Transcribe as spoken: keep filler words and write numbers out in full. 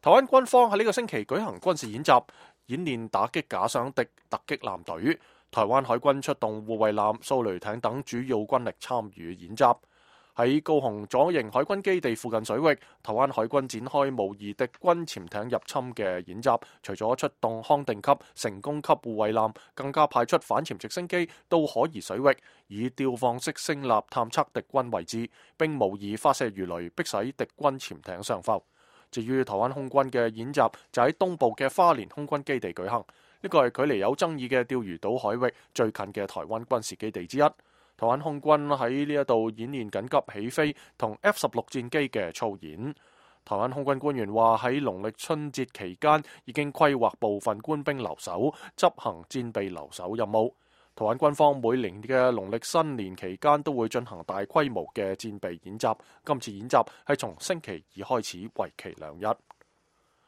台灣軍方喺呢個星期舉行軍事演習，演練打擊假想敵突擊艦隊。台灣海軍出動護衛艦、掃雷艇等主要軍力參與演習。喺高雄左營海軍基地附近水域，台灣海軍展開模擬敵軍潛艇入侵嘅演習，除咗出動康定級、成功級護衛艦，更加派出反潛直升機到可疑水域，以吊放式聲納探測敵軍位置，並模擬發射魚雷，迫使敵軍潛艇上浮。至於台灣空軍嘅演習就喺東部嘅花蓮空軍基地舉行，呢個係距離有爭議嘅釣魚島海域最近嘅台灣軍事基地之一。台灣空軍喺呢一度演練緊急起飛同 F 十六戰機嘅操演。台灣空軍官員話喺農曆春節期間已經規劃部分官兵留守，執行戰備留守任務。台灣軍方每年嘅農曆新年期間都會進行大規模嘅戰備演習，今次演習係從星期二開始，為期兩日。